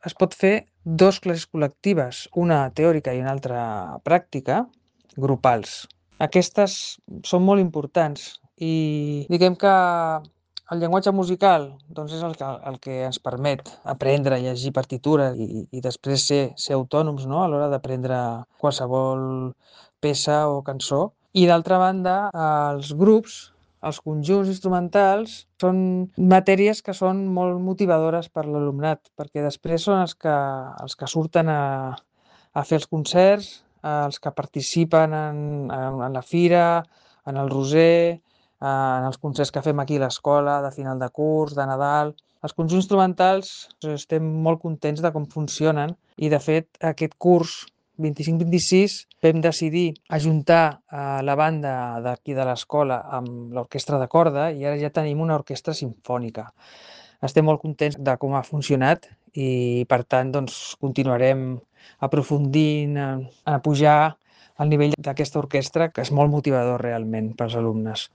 es pot fer 2 classes col·lectives, una teòrica i una altra pràctica, grupals. Aquestes són molt importants i diguem que el llenguatge musical doncs és el que ens permet aprendre a llegir partitura i després ser autònoms, no?, a l'hora d'aprendre qualsevol peça o cançó. I d'altra banda, els grups, els conjunts instrumentals, són matèries que són molt motivadores per l'alumnat, perquè després són els que surten a fer els concerts, els que participen en la fira, en el Roser, en els concerts que fem aquí a l'escola, de final de curs, de Nadal. Els conjunts instrumentals estem molt contents de com funcionen i, de fet, aquest curs 25-26 vam decidir ajuntar la banda d'aquí de l'escola amb l'orquestra de corda i ara ja tenim una orquestra simfònica. Estem molt contents de com ha funcionat i, per tant, doncs, continuarem aprofundint a pujar el nivell d'aquesta orquestra, que és molt motivador realment pels alumnes.